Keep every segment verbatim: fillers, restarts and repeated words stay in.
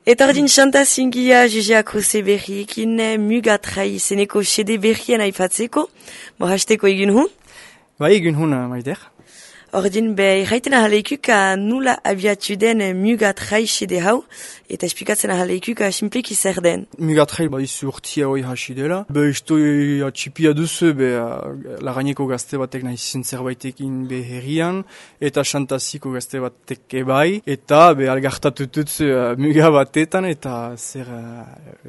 Eta ordin xanta zingia juzeako ze berriekin mugatrai izeneko xede berrien aipatzeko, bo hasteko egin hun? Ba egin hun, maider. Ordin be irraiten ahaleikuk nula abiatu den mugatrai xede hau, eta esplikatzen ahaleikuk simpleki zer den. Mugatrai ba izu urtia hoi hasi dela. Be isto atxipia duzu, be lagaineko gazte batek nahi zen zerbaitekin be herrian, eta xantaziko gazte batek ebai, eta be algartatututz muga batetan, eta zer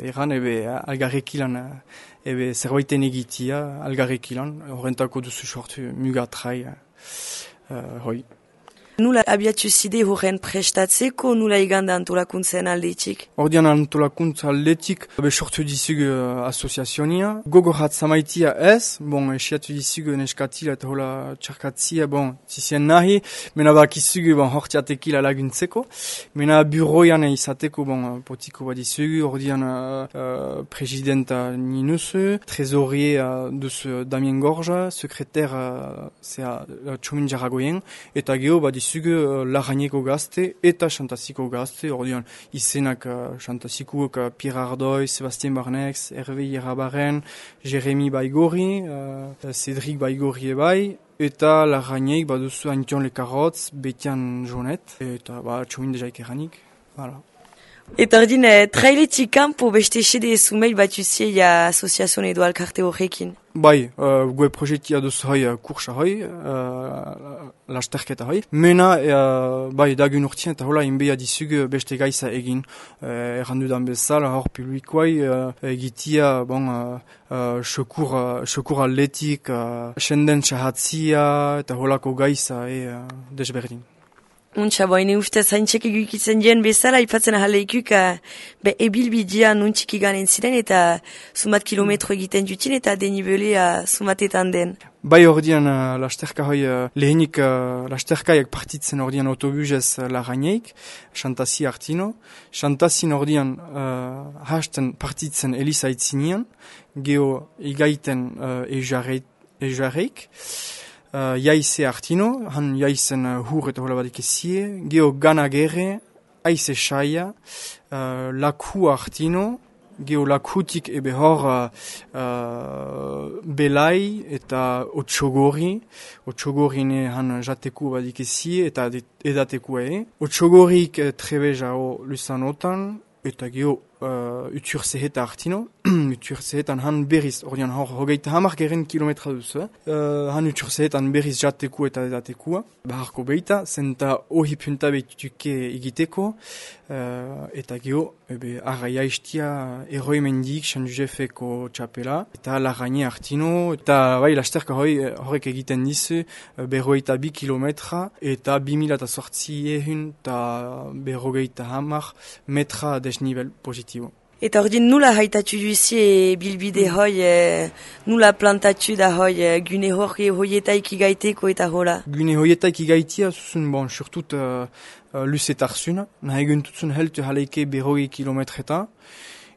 eran ebe algarrekilan ebe zerbaiten egitia algarrekilan, horrentako duzu sortu mugatrai. Uh, hoi. Nula abiatu zide horren prestatzeko, nula iganda antolakuntzen aldetik? Ordian antolakuntza aldetik, be sortu dizug uh, asoziazionia. Gogorat zamaitia ez, bon, esiatu dizug neskatila eta hola txarkatzia, bon, zizien nahi, mena bakizug, bon, hortiatekila laguntzeko. Mena buroian izateko, bon, potiko bat dizug, ordian uh, uh, presidenta ninusu, trezorier uh, duzu Damien Gorja, sekreter uh, zea uh, Txomin Jaragoyen, eta geho bat dizug uh, lagaineko gazte eta xantaziko gazte, ordian izenak uh, xantazikoak uh, Pierre Ardoy, Sebastien Barnex, Hervé Yerabaren, Jérémy Baigori, uh, Cédric Baigori ebai, eta lagainek baduzu Antion Lekarotz, Betian Jonet, eta ba, Txomin dejaik eranik, voilà. Eta ordin, eh, trailetik kanpo beste xede zumeil bat usiei asoziazion edo alkarte horrekin? Bai, uh, goe proiektia duzu hoi uh, kursa hoi, uh, lasterketa hoi. Mena, uh, bai, dagun urtien eta hola inbea dizug beste gaiza egin. Uh, errandudan bezala, hor publikoai uh, egitia, bon, sekur uh, uh, atletik, uh, senden txahatzia eta holako gaiza e, uh, desberdin. Untxa, boine ustez haintxek egukitzen dien bezala, ipatzen ahaleikuk be ebilbidia nuntxik iganen ziren eta sumat kilometro egiten dutin eta denibelea sumatetan den. Bai ordian uh, lasterka hoi uh, lehenik uh, lasterkaiak partitzen ordian autobusez uh, lagaineik, xantazi hartino. Xantazin ordian uh, hasten partitzen Elisa itzinean, geho igaiten uh, ejarreik. Uh, jaize hartino, han jaizen uh, hur eta hola badik ezie, geho gana gerre, aize saia, uh, laku hartino, geho lakutik ebe hor uh, uh, belai eta otxogori, otxogorine han jateku badik ezie eta edateku e. Otxogorik uh, trebejao lusanotan, eta geho uh, utur zeheta hartino, utur zehetan han berriz, ordean hor hogeita hamar geren kilometra duzu, uh, han utur zehetan berriz jateku eta edatekua, baharko beita, zenta ohi punta behituke egiteko, uh, eta geho, ebe, arra jaistia eroi mendik, San Josefeko txapela, eta lagaine hartino, eta bai, lasterka hoi, horrek egiten dizu, berrogeita bi kilometra, eta bi mila eta sortzi ehun, eta berrogeita hamar metra desnivel positibo. Eta ordin nula haitatu duzie bilbide hoi, e, nula plantatu da hoi, e, gune hori hoietaik igaiteko eta hola? Gune hoietaik igaitia, zuzun, bon, surtut uh, uh, luzetarzuna, nahi guntutzun heltu haleike berrogei kilometreta,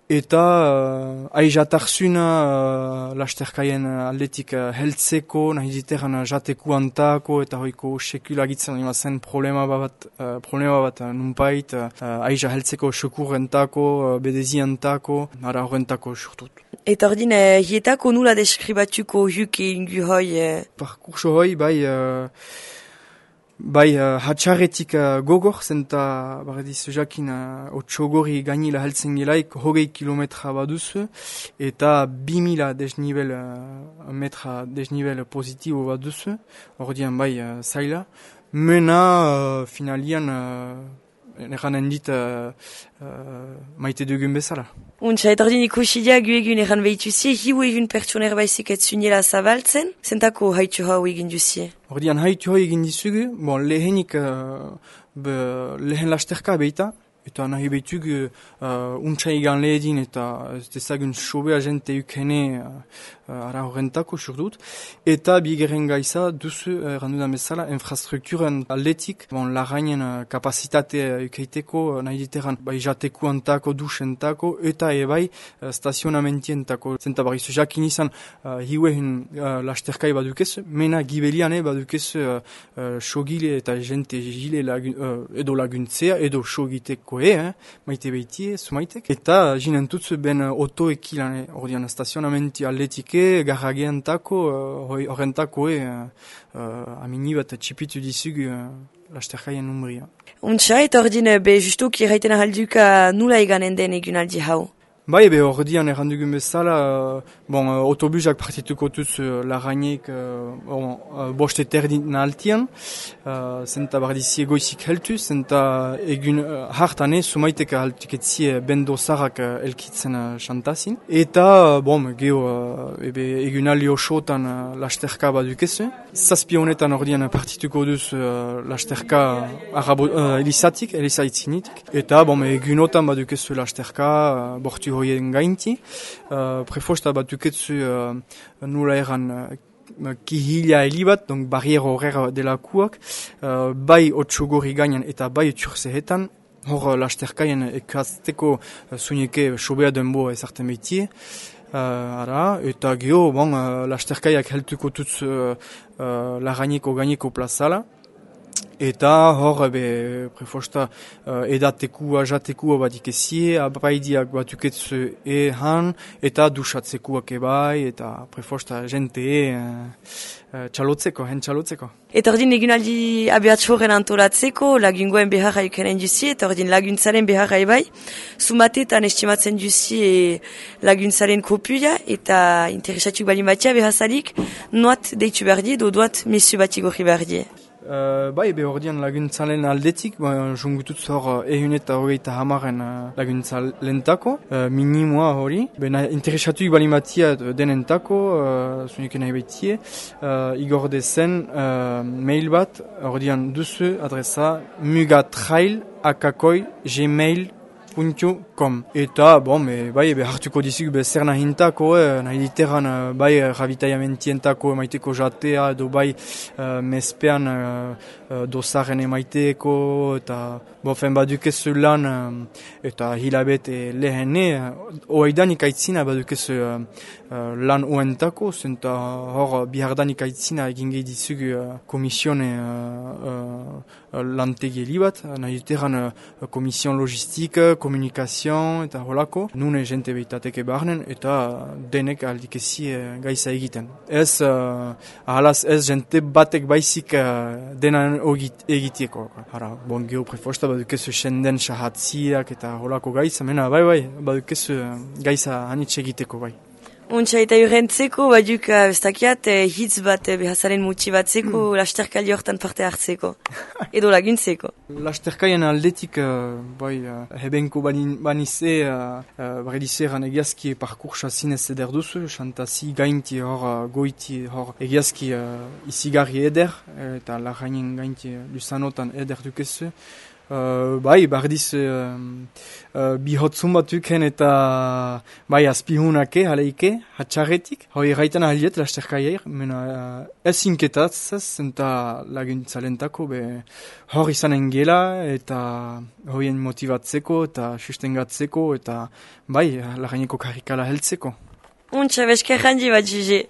eta uh, aijatartzuna uh, lasterkaien aldetik uh, heltzeko, nahi diteran uh, jateku antako, eta hoiko sekulagitzen ima zen problema bat, uh, problema bat uh, nunpait, uh, aija heltzeko sekurrentako, uh, bedezi antako, nara horrentako surtut. Eta ordin, eh, hietako nula deskribatuko huke ingu hoi? Eh? Parkurso hoi, bai... Uh, Bai, uh, hatxarretik uh, gogor, zenta, barrediz, jakin, uh, otxogori gainila heltzen gilaik, hogei kilometra baduzu, eta bi mila desnivel, uh, metra desnivel positibo baduzu, ordian bai, uh, zaila. Mena, uh, finalian, uh, eranen dit, uh, uh, maite dugun bezala. Untxa, eta ordin ikusidia gu egun eran behituzie, hiu egun pertsoner baizik ez zunela zabaltzen, zentako haitu hau egin duzie? Ordian haitu hau egin dizugu, bon, lehenik, uh, be, lehen lasterka beita, eta nahi behitug uh, untsa egan lehedin eta ez dezagun sobea jente ukene uh, ara horrentako surdut. Eta bigeren gaiza duzu, errandudan bezala, infrastrukturen atletik, bon, lagainen uh, kapasitatea ukeiteko, uh, nahi diteran, bai jateku antako, dusentako, eta ebai uh, stazionamentientako. Zenta barrizu jakin izan, uh, hiuehen uh, lasterkai badukezu, mena gibeliane badukezu uh, uh, sogile eta jente gile lagun, uh, edo laguntzea, edo sogiteko laguntzeko e, eh? Maite behiti, sumaitek. Eta jinen tutzu ben otoeki lan, ordean stazionamenti atletike, garrageantako, horrentako e, uh, amini bat txipitu dizugu uh, lasterkaien umbria. Untsa, eta ordin be justuki erraiten ahalduka nula eganen den egunaldi hau? Bai, ebe ordian errandugun bezala, uh, bon, uh, autobusak partituko tuz uh, larainek uh, bon, uh, boste terdin altian, uh, zenta bardizie goizik heltu, zenta egun uh, hartane sumaiteka haltuketzie bendo zarak uh, elkitzen uh, xantazin. Eta, uh, bon, geho, uh, ebe egun alio xotan uh, lasterka badukezu. Zazpi honetan ordian partituko duz uh, lasterka arabo, uh, elizatik, elizaitinitik. Eta, bon, egunotan badukezu lasterka uh, bortu hoien gainti. Uh, prefosta batuketzu uh, nula eran uh, kihila helibat, donc barriero horrer delakuak, uh, bai otxogori gainan eta bai turzehetan, hor lasterkaien ekazteko uh, zuineke sobea denbo ezarten behitie. Uh, ara, eta geho, bon, uh, lasterkaiak heltuko tutz uh, uh, lagaineko gaineko plazala. Eta hor, be, prefosta, uh, edatekua, jatekua badikezie, abaidiak batuketzu ehan, eta dusatzekuak ebai, eta prefosta jente e, uh, txalotzeko, hen txalotzeko. Eta ordin egunaldi abiatxoren antolatzeko, lagungoen beharra ikenen duzi, eta ordin laguntzaren beharra ebai, sumatetan estimatzen duzi e, laguntzaren kopuia, eta interesatuk balin batia behazalik, noat deitu behar die, do doat mesu bat igorri behar die. Uh, bai, be ordian laguntzalen aldetik, ba, jungututz hor ehun eta hogeita hamaren uh, laguntzalentako, uh, minimoa hori. Bena interesatuik balimatia denentako, uh, zuniken nahi behitie, uh, igorde zen uh, mail bat, ordian duzu adresa mugatrail akakoi gmail puntu com. Eta, bon, be, bai, be hartuko dizuk be zer nahintako, eh, nahi diteran, uh, bai, rabitaiamentientako emaiteko jatea, edo bai, uh, mespean uh, uh, dosaren emaiteko, eta, bofen badukezu lan, uh, eta hilabete lehene, uh, oaidan ikaitzina badukezu uh, uh, lan oentako, zenta hor bihardan ikaitzina egin gehi dizuk uh, komisione uh, uh, lantegi helibat, nahi diteran uh, komision logistik, komunikazioa, eta holako, nune jente behitateke barnen, eta denek aldikezi gaisa egiten. Ez, uh, ahalaz ez jente batek baizik uh, denan egitieko. Hara, bon, geho prefosta badukezu senden sahatziak eta holako gaisa, mena, bai, bai, badukezu uh, gaisa hanitz egiteko, bai. Untsa eta urrentzeko, baduk, uh, bestakiat, eh, hitz bat eh, behazaren motibatzeko, mm. lasterkaldi hortan parte hartzeko, edo laguntzeko. Lasterkaien aldetik, uh, bai, uh, hebenko banize, uh, uh, baredizeran egiazki parkursa zinez eder duzu, xantazi gainti hor, uh, goiti hor, egiazki uh, izigarri eder, eta lagainen gainti uh, lusanotan eder dukezu. Uh, bai, bardiz uh, uh, bihotzun batuken eta bai azpihunake, haleike, hatxarretik. Hoi erraiten ahaliet lasterkaier, mena uh, ez inketatzez, eta laguntzalentako, be hor izanen gela, eta hoien motivatzeko, eta sustengatzeko, eta bai, lagaineko karikala heltzeko. Untsa, beskerrandi bat, Gigi.